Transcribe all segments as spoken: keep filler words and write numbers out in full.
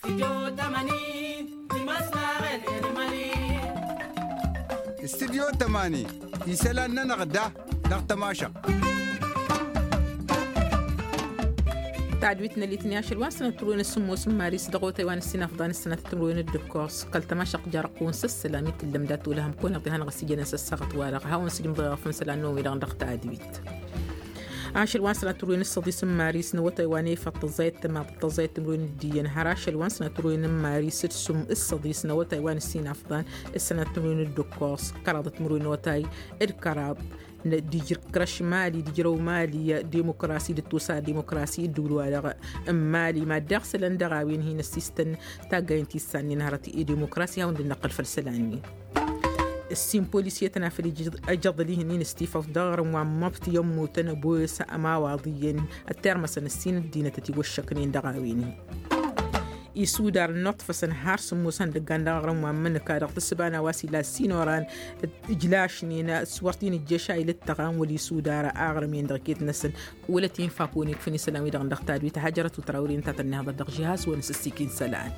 Studyo tămani isălan-nănăɣ da dăɣ-tămašăɣt. Tadwit n-elitni ašăl wa n-sănăt turwen s-sǝmmos n-maris dăɣ-otay wa n-ǝssin afḍan s-sănăt timrwen d-ǝkkos kăl-tămašăɣt jarăqqun s-ăssălam i-tǝllăm dat-olăhăm kăwăn-iḍehan ɣas ijănăn s-ăssaɣăt wa-dăɣ hawăn-sǝjǝmḍăɣ făn isălan n-omi-dăɣ dăɣ-tadwit. Ašăl wa n-sănăt turwen s-săḍis n-maris n-awătay wa n-efăḍ tăẓẓayăt tămaḍ tăẓẓayăt timrwen d-iyyăn har ašăl wa n-sănăt turwen n-maris d-sum s-săḍis n-awătay wa n-ǝssin afḍan s-sănăt timrwen d-ǝkkos kăraḍăt timrwen n-otay d-kăraḍ d-ijrǝk krăš mali d-ijrăw mali. Dimokrasi d-ăttusa dimokrasi d-ǝwǝl-wa-dăɣ n-mali mad-daɣ isălan dăɣ-a-wen hin-ăssistăn taggayen ti s-sannen hărăt i-dimokrasi hawăn-dd-năqqǝl făll-isălan-nin. Ǝssin polisiyătăn afăl ijăḍ-i hǝnnin s-tifăḍ dăɣ-aɣrǝm wa n-măbti i-ămmutăn ăboyăs ămawaḍ iyyăn ăttirmăsăn ǝssin ăddinăt ătiwăššăknen dăɣ-a-wen-hi. Isudar ănnuṭṭfăsăn har sǝmmos ihăndăggan dăɣ-aɣrǝm wa n-imǝnǝka dăɣ-tǝssǝba n-a-wa s-ila ăssin oran ǝjlašnen s-wăr t-in-ǝjjăš a ilǝttăɣan wăla isudar aɣrǝm-en dăɣ-iket-năsăn. Wăla t-in-fak wăn-ikfǝn isălan-wi-dăɣ dăɣ-tadwit hajărăt u-tărawri ǝnta a tăn-ihăḍăr dăɣ-žihaz-wăn s-ǝssikin isălan.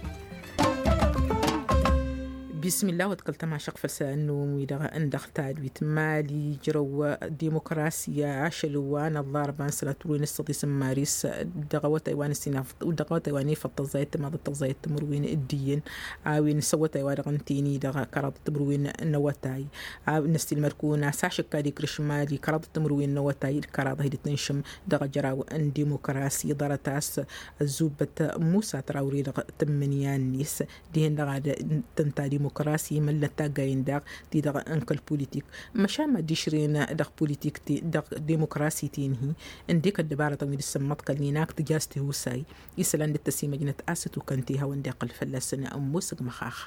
Bismillah wa t-kăl-tămašăɣt făll-isălan n-omi-dăɣ n-dăɣ-tadwit mali ijrăw dimokrasi ašăl wa n-ăllarba n-sănăt turwen s-săḍis n-maris dăɣ-awătay wa n-ăssinaf dăɣ-awătay wa n-efăḍ tăẓẓayăt timăḍăt tăẓẓayăt timǝrwen d-iyyăn a-wen s-awătay wa dăɣ-ǝnta-en-i-dăɣ kăraḍăt timǝrwen n-awătay. Năssiilmăd-kăwăn a-s ašǝkka d-ikrǝš mali kăraḍăt timǝrwen n-awătay d-kăraḍăh i-dd-tǝnšǝm dăɣ-ajraw n-dimokrasi ḍarăt a-s ăzzubbăt musa trawre dăɣ-tǝmmǝnǝya-net dihen-dăɣ ad-tǝnta dimokrasi măllăt taggayen daɣ ti-dăɣ n-kăl-politik. Măšan mad-išrǝyăn dăɣ-politik ti-dăɣ dimokrasi ti-in-hi ǝndek ăddăbarătăn wi dd-sǝmmăḍkălnen ak tǝja s-tihusay isălan dd-tăsimăjnăt a-s ătukăn-t ihawăn-dd-iqqăl fălla-săn ămoos ǝgmăxax.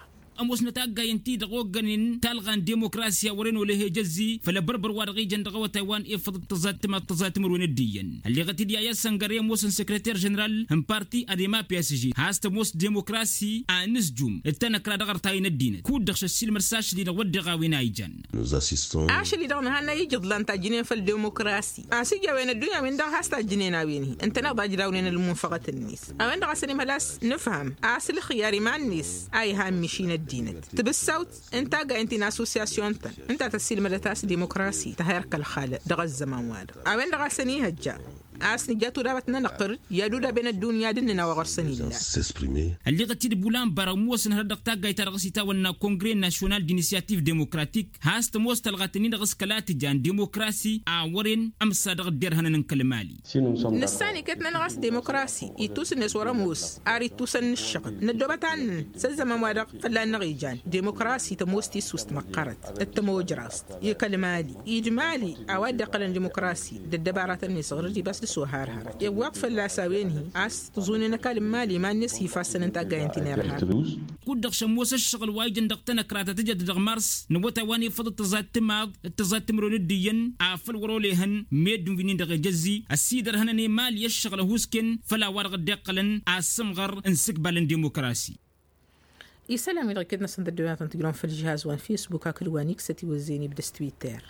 Ămoosnăt taggayen-ti-dăɣ oggănen talɣa n-dimokrasi a wăren oleh ejăzzi făll-abărbăr wa dăɣ-ijăn dăɣ-awătay wa n-efăḍ tăẓat timaḍ tăẓat timǝrwen d-iyyăn ălleɣăt-dd i-a i-ad-săngăre ămoosăn sekreter ženeral n-parti ad-ema psg has-tămoos dimokrasi a nǝzjum d-tanăkra dăɣ-artay n-ăddinăt kud-dăɣ šăssilmăd s-ašăl-i-dăɣ wădden a ijan. Ašăl-i-dăɣ nǝhannăy ijǝḍlan tajjǝnen făll-dimokrasi a-s ija a-wen ăddunya-win-dăɣ has-tajjǝnen a-wen-hi ǝntăneḍ a ǝjdawnen ălmunfăɣăt-net. A-wen-dăɣ a-s ănimhăl a-s nǝfhăm a-s ǝlxǝyyar iman-net a iha ǝmmišin ăddinăt tibǝssawt n-taggayen ti n-assosyasyon-tăn ǝnta tăssilmădăt a-s dimokrasi tăhher kăl-xalăt dăɣ-ăzzăman-wa-dăɣ a-wen-dăɣ a-s ănihăjja a-s nǝja tudabăt n-anăqqăr i-ad-udaben ăddunya d-ǝnnǝn a-wa ɣur-săn illa. Ălleɣăt-dd bulan barăɣ ămoosăn hărăt dăɣ-taggayt-ta-dăɣ s-itawănna kongre nasyonal d-inisyattiv demokratik has-tămoos talɣat-ǝnnin-dăɣ s-kăla tǝjan dimokrasi a wăren ămsa dăɣ-dd-irhănăn n-kăl-mali. Nǝssan iket-nănăɣ a-s dimokrasi ittus-net wăr-ămoos ar ittusăn n-ǝššăɣǝl năddoobăt ad-nǝnn s-ăzzăman-wa-dăɣ fălla-năɣ ijan dimokrasi tămoos tissust măqqărăt d-tămojrast i-kăl-mali i-d-mali a-wa dd-iqqălăn dimokrasi d-ăddăbaratăn-net ɣur-dd ibas dăɣ-s ohar hărăt iwweḍ fălla-s a-wen-hi a-s tǝẓunen ăkall n-mali iman-net ifa a ǝssănăn taggayen ti n-irhar. Kud-dăɣ šămmos ǝššăɣǝl wa ijăn dăɣ-tanăkra ta tǝjăt dăɣ-mars n-awătay wa n-efăḍ d-tăẓat timaḍ d-tăẓat timǝrwen d-iyyăn a făl wăr-olehăn meddǝn wi-nin-dăɣ ejăzzi ăsidărhănăn i-mali ǝššăɣǝl ăhuusken făll-a-wa-dăɣ dd-iqqălăn asǝmɣăr n-isǝkbal n-dimokrasi. Isălan-wi-dăɣ iket-năsăn d-ăddooyăn ad-tăn-tǝjrăwăn făll-žihaz wa n-fesbuk hakd wa n-iksăt iwăzzeyăn ibdăs twitter.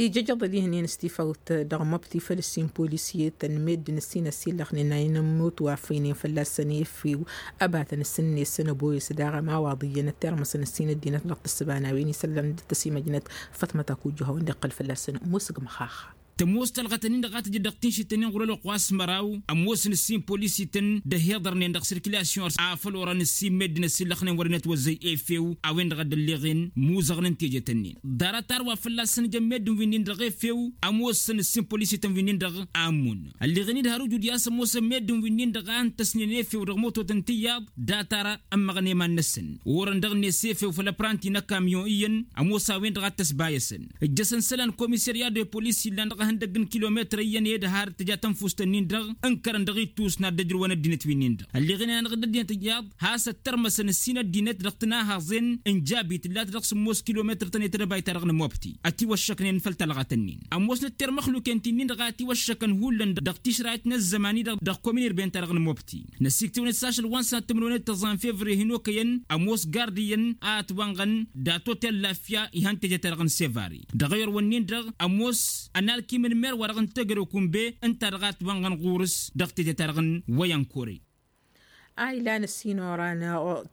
Ija ijăḍ ălihǝnnin s-tifăwt dăɣ-măbti făll-ǝssin polisiyetăn meddǝn ǝssin ăsillăxnen a inǝmmut wa ăffăynen fălla-săn i-effiw ăbatăn s-ǝnnesăn ăboyăs daɣ ămawaḍ iyyăn ăttirmăsăn ǝssin ăddinăt dăɣ-tǝssǝba n-a-wen isălan dd-tăsimăjnăt. Fătmăt akujju a hawăn-dd-iqqăl fălla-săn ămoos ǝgmăxax. Tămoos talɣăt-ǝnnin-dăɣ a tǝjǝd dăɣ-tinšit-ǝnnin ɣur-ălwăqq wa s-măraw ămoosăn ǝssin polisităn d-ăhiḍărnen dăɣ-sirkilasyon a făl orăn ǝssin meddǝn ăsillăxnen wăren ătwăzzăy efew a-wen-dăɣ a dd-ălleɣen muzăɣnen tejăt-ǝnnin. Ḍarăt arwa fălla-săn jăn meddǝn wi-nin-dăɣ efew ămoosăn ǝssin polisităn wi-nin-dăɣ a ǝmmun. Ălleɣen-dd har ujud i-a-s ămoosăn meddǝn wi-nin-dăɣ a ǝntăsnen efew dăɣ-mototăn tiyyăḍ. Datăr ămmăɣnen iman-năsăn orăn dăɣ-net efew făll-ăpranti n-ăkamyon iyyăn ămoos a-wen-dăɣ a t-ăsbayăsăn. Ǝjjăsăn isălan komisărya de polis illan dăɣ-ehăndăgg n-kilometăr iyyăn i-dd har tǝja tănfust-ǝnnin-dăɣ ǝnkărăn dăɣ-ittus n-ad-dd-ǝjrǝwăn ăddinăt wi-nin-dăɣ ălleɣen-anăɣ-dd ăddinăt iyyăḍ. Has-ăttărmăsăn ǝssin ăddinăt dăɣ-tǝnahaẓen n-jabi tǝllat dăɣ-sǝmmos kilometăr tăn-e-tădăbayt-ta-dăɣ n-mobti ătiwăššăknen făll-talɣat-ǝnnin. Ămoos n-ăttermăxluken ti-nin-dăɣ a ătiwăššăkăn hullan dăɣ-tišrayt n-ăzzăman-i-dăɣ dăɣ-komin irben-ta-dăɣ n-mobti. Năsiktǝwăn-dd s-ašăl wa n-sănat timǝrwen d-tăẓẓa n-fevriye hin-okăyăn ămoos gard iyyăn a ătwănɣăn dat-otel lafya ihăn teje-ta-dăɣ n-sevari. Dăɣ-eyăr wǝnnin-dăɣ ămoos ănalkim n-mer wa dăɣ-n tegăre okunbe ǝnta dăɣ-a ătwănɣăn ɣur-s dăɣ-teje-ta-dăɣ n-wăyăn kore. A ilan ăssin oran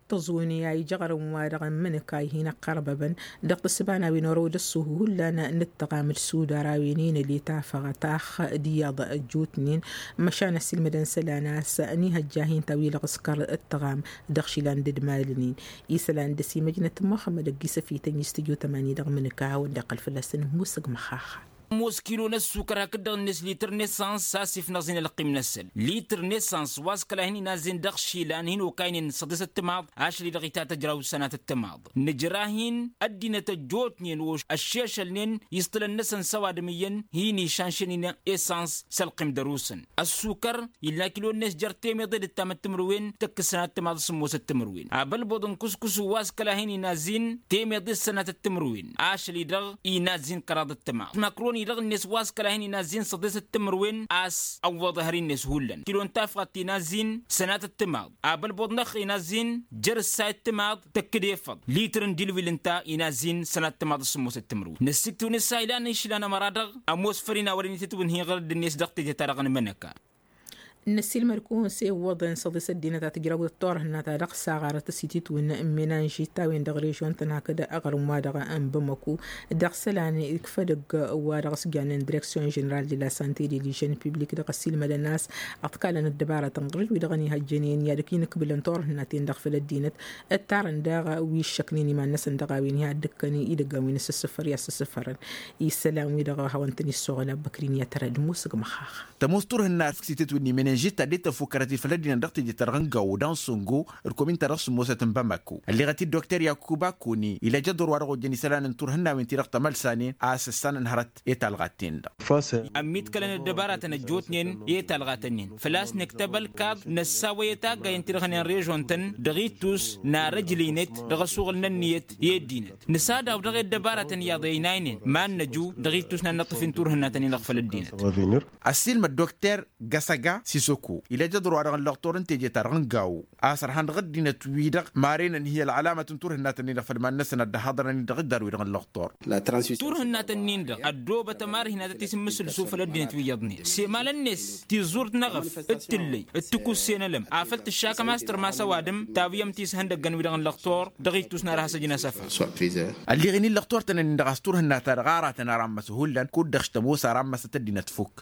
tăẓuni a ijăɣrǝm wa-dăɣ n-imǝnǝka ih'-in ăqqărbăbăn dăɣ-tǝssǝba n-a-wen orăw d-ăṣṣuhu hullan n-ǝttăɣam d-sudar a-wen-in ăli tafăɣăt ax d-iyyăḍ ăjjootnen. Măšan ăssiilmădăn isălan a-s n-ihăjja hin-ta-wi-dăɣ s-kăr ǝttăɣam dăɣ-išilan d-ǝdmalăn-in isălan d-ăsimăjnăt muxămmăd ăgg-isăfităn i-s tǝjotăm a-ni dăɣ-imǝnǝka a hawăn-dd-iqqăl fălla-săn ămoosăg măxaxa. Ămoos kilo n-ăssukăr hakd-dăɣ-net lităr n-esăns a-s ifnăẓ-in ălqim-năsăn lităr n-esăns wa s-kăla hin-inazzin dăɣ-išilan hin-okaynen săḍisăt timaḍ ašăl-i-dăɣ itatăjraw sănatăt timaḍ. Nǝjra-hin ăddinăt ăjjootnen ošš ăššešălnen iẓtǝlăn-năsăn s-ăwadǝm iyyăn hin-išanšănen esăns s-ălqim dăr-usăn. Ăssukăr ill'-na kilo-net jer-temeḍe d-ǝttamăt timǝrwen tăkk-s sănatăt timaḍ s-sǝmmosăt timǝrwen abălboḍ n-kǝskǝsu wa s-kăla hin-inazzin temeḍe s-sănatăt timǝrwen ašăl-i-dăɣ inazzin kăraḍăt timaḍ. Măkroni-dăɣ-net wa s-kăla hin-inazzin săḍesăt timǝrwen a-s ăwwăḍăhăr-net hullan kilo n-tafɣat inazzin sănatăt timaḍ abălboḍ n-ăxx inazzin jer-ǝssayăt timaḍ tăkk-dd efăḍ litǝr n-dilwil ǝnta inazzin sănatăt timaḍ s-sǝmmosăt timǝrwen. Năssiktǝw n-ǝssa ilan išlan ămăra-dăɣ ămoos făr-in a wărăn itǝtwǝnhǝy ɣărădd-net dăɣ-teje-ta-dăɣ n-imǝnăka. Năssiilmăd-kăwăn s-e ǝwwăḍăn săḍisăt ăddinăt a tǝjrawăt turhǝnna-ta-dăɣ s-aɣarăt s-ititwǝn n-menănžit-a-wen dăɣ-režion-tăn hakd aɣrǝm-wa-dăɣ n-bamăku dăɣ-isălan ikfăd ăgg-wa-dăɣ s-jannen direksyon ženeral de la sante de lijen piblik dăɣ-ăssiilmădăn a-s ăḍkalăn ăddăbarătăn ɣǝr-dd wi-dăɣ ănihăjjănen i-ad-ăkk inǝkbǝlăn turhǝnna-ten-dăɣ făll-ăddinăt ǝttarăn daɣ wi ǝššăknen iman-năsăn dăɣ-a-wen i-ad-dd-ǝkkăn idăggan wi n-asǝssǝfăr i-ad-sǝssǝfărăn isălan-wi-dăɣ a hawăn-tăn-issăɣǝl abbăkri n-i-ad-tăra d-musǝg măxxax. Tămoos turhǝnna a-s făk s-itǝtwǝnni menănžit ta dd-tăffukkărăt i-făll-ăddinăt dăɣ-teje-ta-dăɣ n-gawo d-ansongo d-komin-ta-dăɣ s-ămoosăt n-bamako ălleɣăt-dd dokter yakuba koni ila jăḍur wa dăɣ-ojăn isălan n-turhǝnnawen-ti-dăɣ tămălsanen a-s ǝssanăn hărăt i-talɣat-ten-dăɣ. Ămmiḍkălăn ăddăbaratăn ăjjootnen i-talɣat-ǝnnin făl-a-s nǝktăb ălkaḍ năssawăy i-taggayen-ti-dăɣ hănen režon-tăn dăɣ-ittus n-arăjlǝynet dăɣ-asuɣǝl n-ǝnniyăt i-ăddinăt nǝsadaw dăɣ-e ăddăbaratăn iyyăḍ ăynaynen ma n-năju dăɣ-ittus n-ad-năṭṭǝf-in turhǝnna-tăn-in-dăɣ făll-ăddinăt. Ăssiilmăd dokter găsăga sisoko ila jăḍur-wa-dăɣ n-lăɣtor n-teje-ta-dăɣ n-gawo a-s ărhan dăɣ-ăddinăt-wi-dăɣ marăynăn hi-ălɣălamăt n-turhǝnna-tăn-in-dăɣ făll-iman-năsăn ad-dd-haḍărăn-in dăɣ-iddar-wi-dăɣ n-lăɣtor. Turhǝnna-tăn-in-dăɣ ăddoobăt ămarhinatăt isǝmmǝsǝlsu făll-ăddinăt wi iyyăḍnen s-emalăn-net tiẓurt n-eɣăf d-tǝllăy d-tikǝsse n-elăm afăl tǝššakăm a-s tărmas ăwadǝm tawǝyăm-t i-s ihăndăggăn-wi-dăɣ n-lăɣtor dăɣ-ittus n-ad-has-ăjǝn asăfar. Ălliɣ-in i-lăɣtor-tăn-ǝnnin-dăɣ a-s turhǝnna-ta-dăɣ aratăn ara n-măsăhullăn kud-dăɣ s-tămoos ara n-măsăt ăddinăt fukk.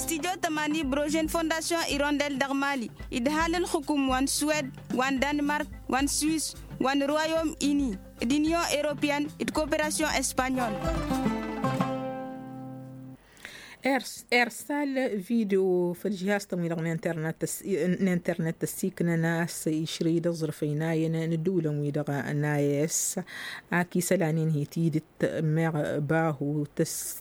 Studyo tămani brožen fondasyon irondel dăɣ-mali idhal ǝlxǝkum wa n-suwed wa n-danmark wa n-swis wa n-royom ini d-inyon eropyen d-koperasyon espanyol. Ersal video făll-žihaz-tăn-wi-dăɣ n-internet tăssiknăn a-s išrǝy d-aẓrǝf ăynayăn n-ǝddǝwǝlăn-wi-dăɣ n-a s ak isălan-in hi-tidǝt meɣ bahu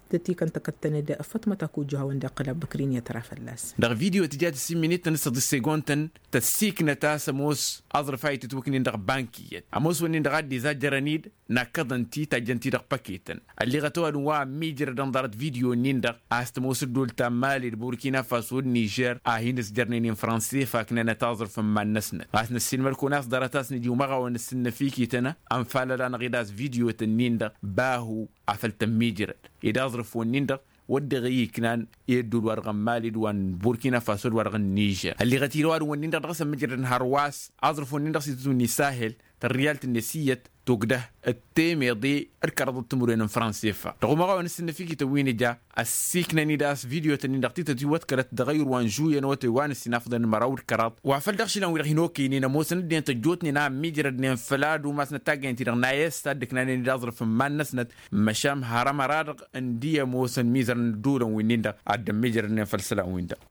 tătikăn tăkăttăn-dd fătmăt akujju hawăn-dd-iqqǝl abbăkrin i-ad-tăra fălla-s. Dăɣ-video tǝja tǝssin minităn s-săḍis segontăn tăssiknăt a-s ămoos aẓrǝf a itǝtwǝknen dăɣ-bank iyyăt ămoos wǝnnin-dăɣ a dd-izajjărăn-dd nakkăḍăn-t i-tajjăn-t-i dăɣ-păketăn. Ălliɣăt ăwadǝm wa ămmiijrădăn ḍarăt video-nin-dăɣ a-s tămoos ăddool ta n-mali d-burkina faso d-nižer a hin-ǝsjărnen i-n-franse faknănăt aẓrǝf n-iman-năsnăt a-s năssiilmăd-kăwăn a-s ḍarăt a-s nǝja umăɣawăn ǝssǝnnăfikităn ănfalăd-anăɣ-dd a-s video-tăn-nin-dăɣ bahu afăl tămmiijrăd ed aẓrǝf-wǝnnin-dăɣ wăr dăɣ-i-iknan i-ăddool-wa-dăɣ n-mali d-wa n-burkina faso d-wa-dăɣ n-nižer ălliɣăt-dd ăwadǝm-wǝnnin-dăɣ dăɣ-s ămmijrădăn hărwa s-aẓrǝf-wǝnnin-dăɣ s-itǝtwǝnni sahel tărriyalt-net iyyăt tugdăh d-temeḍe d-kăraḍăt timǝrwen n-fransefa dăɣ-umăɣawăn ǝssǝnnăfikităn wi nǝja ăssiiknăn-dd a-s video-tăn-in-dăɣ tităt iwwăḍkălăt dăɣ-ayǝr wa n-žuyyăn wătay wa n-ǝssin afḍăn n-măraw d-kăraḍ wa făl dăɣ-išilan-wi-dăɣ hin-okăynen ămoosăn ăddinăt ăjjootnen a ămmiijrădnen făll-ad-umasnăt taggăyăn-ti-dăɣ n-a s-a dd-ǝknanen d-aẓrǝf n-iman-năsnăt măšan har ămăra-dăɣ ǝndi ămoosăn mizărăn ădduulăn wi-nin-dăɣ a dd-ămmiijrădnen făll-isălan-win-dăɣ.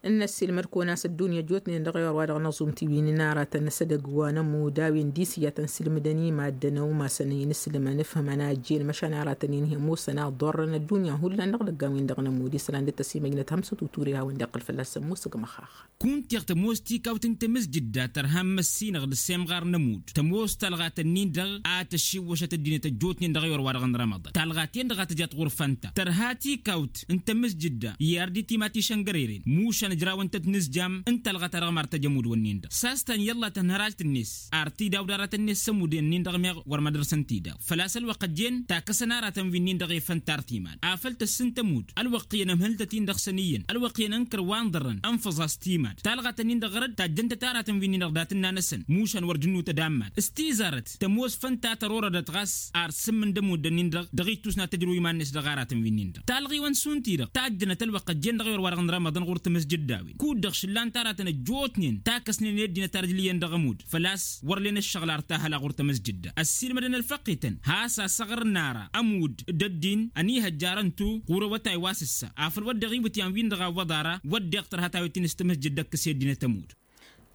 N-ăssiilmăd-kăwăn a-s ăddunya ăjjootnen dăɣ-ewăr-wa-dăɣ n-aẓum ti wi n-aratăn s-edăgg wa n-ămudd a-wen disǝyya tăn-sǝlmǝdăn i-maddǝn ăumasăn inǝslǝmăn ǝfhǝmăn a ăjjeen măšan aratăn-in hi-ămoosăn a ḍorrăn ăddunya hullan dăɣ-idăggan-win-dăɣ n-ămudd isălan dd-tăsimăjnăt hămsăt uture a hawăn-dd-iqqǝl fălla-săn musǝg măxax. Kunta-i-dăɣ tămoos tikawt n-tamǝzjǝdda tărha n-măssinăɣ d-semɣar n-ămudd tămoos talɣat-ǝnnin-dăɣ a tăšiwwăšăt ăddinăt ăjjootnen dăɣ-ewăr-wa-dăɣ n-rămăḍan talɣat-en-dăɣ a tǝjat ɣurfan-ta tărha tikawt n-tamǝzjǝdda i-ardi timat išăngăreren mušan. ǝjrawăn-tăt nǝzjam n-talɣa-ta-dăɣ mar tăj ămud-wǝnnin-dăɣ s-a-s ta n-iyyălla tănhărajt-net. Ar tidaw d-aratăn-net s-ămud-en-nin-dăɣ meɣ wăr mădărsăn tidaw făl-a-s ălwăqq ăjjeen takăsăn aratăn wi-nin-dăɣ efăn tartimad afăl tăssǝnt ămud ălwăqq iyyăn ămhǝl-tăt-in-dăɣ săn iyyăn ălwăqq iyyăn ǝnkăr wa n-ḍărrăn ănfăẓ-as timad talɣa-tăn-in-dăɣ ɣărăd tajjăn-tăt aratăn wi-nin-dăɣ dat-ǝnnan-asăn mušan wăr jǝnnutăd ammad s-tizarăt tămoos făn ta tărorădăt ɣas ar sǝmmǝn d-ămuddăn-in-dăɣ dăɣ-ittus n-ad-tăjrǝw iman-net dăɣ-aratăn wi-nin-dăɣ talɣiwăn šund-ti-dăɣ tajjănăt ălwăqq ăjjeen dăɣ-iwăr wa dăɣ-nărămăḍăn ɣur-tamăsjădda-win kud-dăɣ šǝllan-t aratăn ăjjootnen takăsnen i-ăddinăt ar ǝjlǝyăn dăɣ-ămud făl-a-s wăr len ăššăɣǝl ar tahăla ɣur-tamăsjădda ăssiilmădăn ălfăqqităn has-asăɣrǝn ara ămud d-ăddin ănihăjjarăn-tu ɣur-awătay wa s-ǝssa afăl wădden iwǝtyan-win-dăɣ a ǝwwăḍ ara wădden tărha tawet-in s-tamăsjădda ǝkkǝs i-ăddinăt ămud.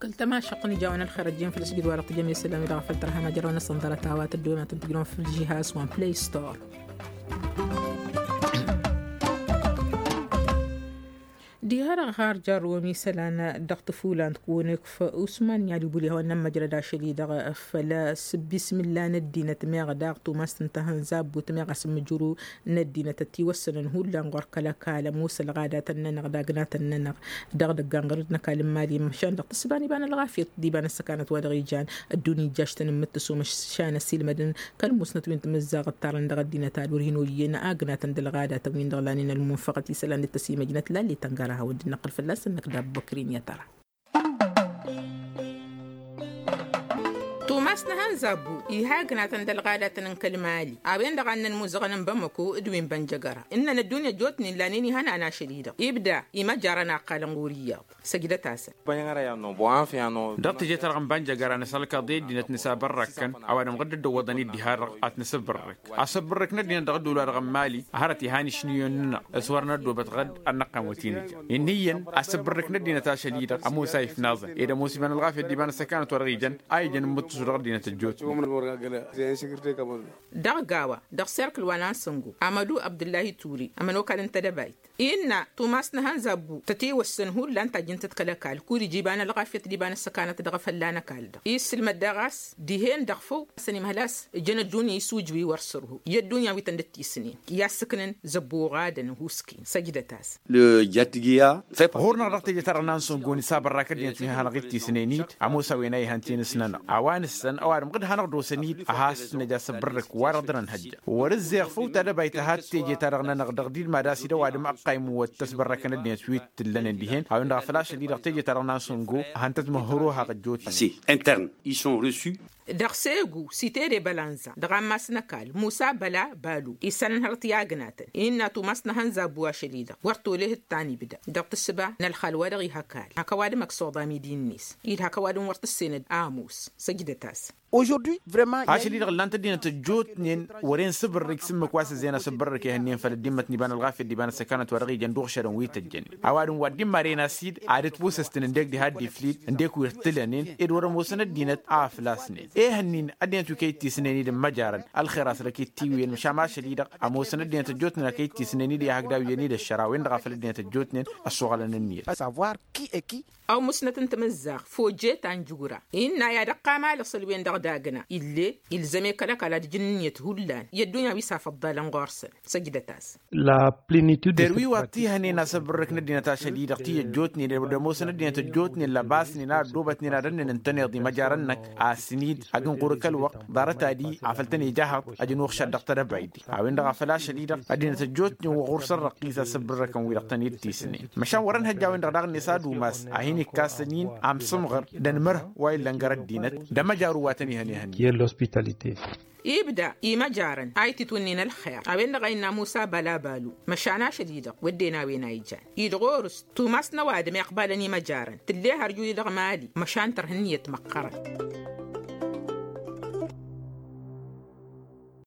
Kăl-tămašăɣt n-ija a-wen ălxer ăjjeen făll-asǝjǝd wa-dăɣ tǝjăm i-isălan-wi-dăɣ a făl tărha majăraw-năsăn ḍarăt a-wa tăddoyăm ad-tăn-tǝjrǝwăm făll-žihas wa n-play store. Diha-dăɣ har jarrăwăm isălan dăɣ-tăfulant kăwăn-ikf usman n-iyyăḍ ibul ihawăn n-ămmăjrăd ašăl-i-dăɣ făll-asǝbbismǝlla n-ăddinăt meɣ daɣ tumast n-tahănzabbut meɣ asǝmmǝjru n-ăddinăt ătiwăssănăn hullan ɣur-kăl-ăkall ămoos ălɣadatăn-nănăɣ d-agnatăn-nănăɣ dăɣ-idăggan ɣărăd n-ăkall n-imali măšan dăɣ-tǝssǝba n-iba n-ălɣafyăt d-iba n-ăssăkanăt wa dăɣ-ijan ăddunya ijjaštăn n-imǝttǝsu măšan ăsiilmădăn kăl-musnăt wi n-timǝzzaɣ ǝttarăn dăɣ-ăddinăt ad-wăr hin-oyyăn agnatăn d-ălɣadatăn-win-dăɣ lanen ălmunfăɣăt isălan d-tăsimăjnăt lalli tăngăra a hawăn-dd-năqq fălla-săn năkk d-abbăkrin i-ad-tăra. Tumas n-ehăn zabbu iha agnatăn d-ălɣadatăn n-kăl-mali a-wen-dăɣ a ǝnnăn imuzăɣăn n-bamăko d-wi n-bănjăgăra ǝnnăn ăddunya ăjjootnen lanen ihănan ašăl-i-dăɣ ibda imăjarăn a ǝqqalăn ɣur-iyyăḍ. Săjdăt-asăn. Dăɣ-teje-ta-dăɣ n-bănjăgăra nǝsălkăḍ i-ăddinăt nǝsabărrăkkăn ăwadǝm ɣǝdd-dd-ăwwăḍăn-dd diha-dăɣ ad-t-nǝsǝbbărrǝk asǝbbărrǝk n-ăddinăt dăɣ-ădduul-wa-dăɣ n-mali hărăt iha n-išnǝyăn-nănăɣ s-wăr năddobăt ɣǝd ad-năqqan wăt-in-ǝjăn. Inn'-iyyăn asǝbbărrǝk n-ăddinăt ašăl-i-dăɣ ămoos a ifnaẓăn ed ămoos iba n-ălɣafyăt d-iba n-ăssăkanăt wa dăɣ-ijăn a ijăn n-imǝttǝsu dăɣ-ăddinăt ăjjootnen. Dăɣ-gawa dăɣ-serkǝl wa n-ansăngo amădu abdǝllahi ture ămănokal n-tedăbayt innă tumas n-ehăn zabbu tătewăssăn hullan tajjǝn-tăt kăl-ăkall kud-ija iba n-ălɣafyăt d-iba n-ăssăkanăt dăɣ-efălla n-ăkall-dăɣ issǝlmăd daɣ a-s dihen dăɣ-făw a-s ănimhăl a-s ǝjăn ăddunya isujǝw i-wăr sărhu i-ăddunya wi tăn-dd-tisǝnen i-ad-sǝknăn zăbbu oɣadăn ăhuusken săjdăt-as. Ɣur-năɣ dăɣ-teje-ta-dăɣ n-ansǝngo nisabărrak ăddinăt wi hanăɣ-dd-tisnen-dd ămoos a-wen a ihăn ti n-ǝsnănăɣ a-wa nǝssăn ăwadǝm ɣǝd hanăɣ-dd-osăn-dd a has-nǝja asǝbbărrǝk wa-dăɣ dăr-ănhăjja. Wăr-ǝzzeɣ făw tadăbayt tǝha d-teje-ta-dăɣ-nănăɣ dăɣ-dd-mad-asid ăwadǝm ăqqayǝm wăr tăsbărrăkăn ăddinăt wi t-ǝllănen dihen a-wen-dăɣ a făl ašăl-i-dăɣ teje-ta-dăɣ n-ansǝngo. Hăn-tăt-măhhăr ohăɣ ăjjootnen. Dăɣ-segu sitede bălanza dăɣ-ammas n-ăkall musa băla balu isălan hărăt i-agnatăn innă tumas n-ehăn zabbu ašăl-i-dăɣ wăr toleh d-tanibda dăɣ-tǝssǝba n-ălxal wa dăɣ-iha ăkall hak ăwadǝm ăksoḍa midi-net id hak ăwadǝm wăr tǝssenăd ămoos. Săjdăt-as. Ašăl-i-dăɣ ǝllan-t ăddinăt ăjjootnen wăren sǝbǝrrǝk s-ǝmmǝk wa s-ǝzzeyăn asǝbbărrǝk ehănnen făll-ăddimmăt n-iba n-ălɣafyăt d-iba n-ăssăkanăt wa dăɣ-ijăn d-uɣšădăn wi tăjjănen. Ăwadǝm wa dd-immaren a-s-dd ad-ǝtwǝsăstăn ǝndek diha dd-iflid ǝndek wi ǝrtǝlănen ed wăr-ămoosăn ăddinăt a ăflasnen ehănnin ăddinăt wi kăy-dd-tisnen-dd n-imăjarăn. Ălxer a-s dăɣ-kit-tiwǝyăn măšan ašăl-i-dăɣ ămoosăn ăddinăt ăjjootnen a kăy-dd-tisnen-dd i-ahăgdaw iyyăn-dd ăššăra a-wen-dăɣ a făl ăddinăt ăjjootnen ăssoɣălăn ǝnniyăt. Ămmusnăt n-tamǝzzaɣt fojet anjura innă i-ad-ăqqam alăṣăl-wen-dăɣ d-agna ill'-e ilzăm-e kăl-ăkall ad-ǝjǝn ǝnniyăt hullan i-ăddunya wi s-afăḍḍalăn ɣur-săn. Săjdăt-as. Terwi wa t-ihănen asăbărrǝk n-ăddinăt ašăl-i-dăɣ ti ăjjootnen ed ămoosăn ăddinăt ăjjootnen lăbasnen a ăddoobătnen ad-ănnen ǝntăneḍ imăjarăn-năk a-s ǝnid ăgg ǝnɣur kăl-wăqq ḍarăt-adi afăl tăn-ija ahăḍ. Ăjǝn uɣšad dăɣ-tedăbayt a-wen-dăɣ a făl ašăl-i-dăɣ ăddinăt ăjjootnen wa ɣur-săn răqqis asǝbărrăkăn wi-dăɣ tăn-dd-tisnen măšan wăr-ănhăjj a-wen-dăɣ daɣ-net ad-umas a hin-ikkasăn-in amsǝmɣăr d-ănmărh wa illăn gar ăddinăt d-amăjaru wa tăn-ihăn ihănnen. Ibda imăjarăn a ititwǝnnin ălxer a-wen-dăɣ a innă musa băla balu măšan ašăl-i-dăɣ wădden a-wen a ijan-i d-ɣur-s tumas n-ăwadǝm iqbalăn imăjarăn tǝlle har juli dăɣ-mali măšan tărha ǝnniyăt măqqărăn.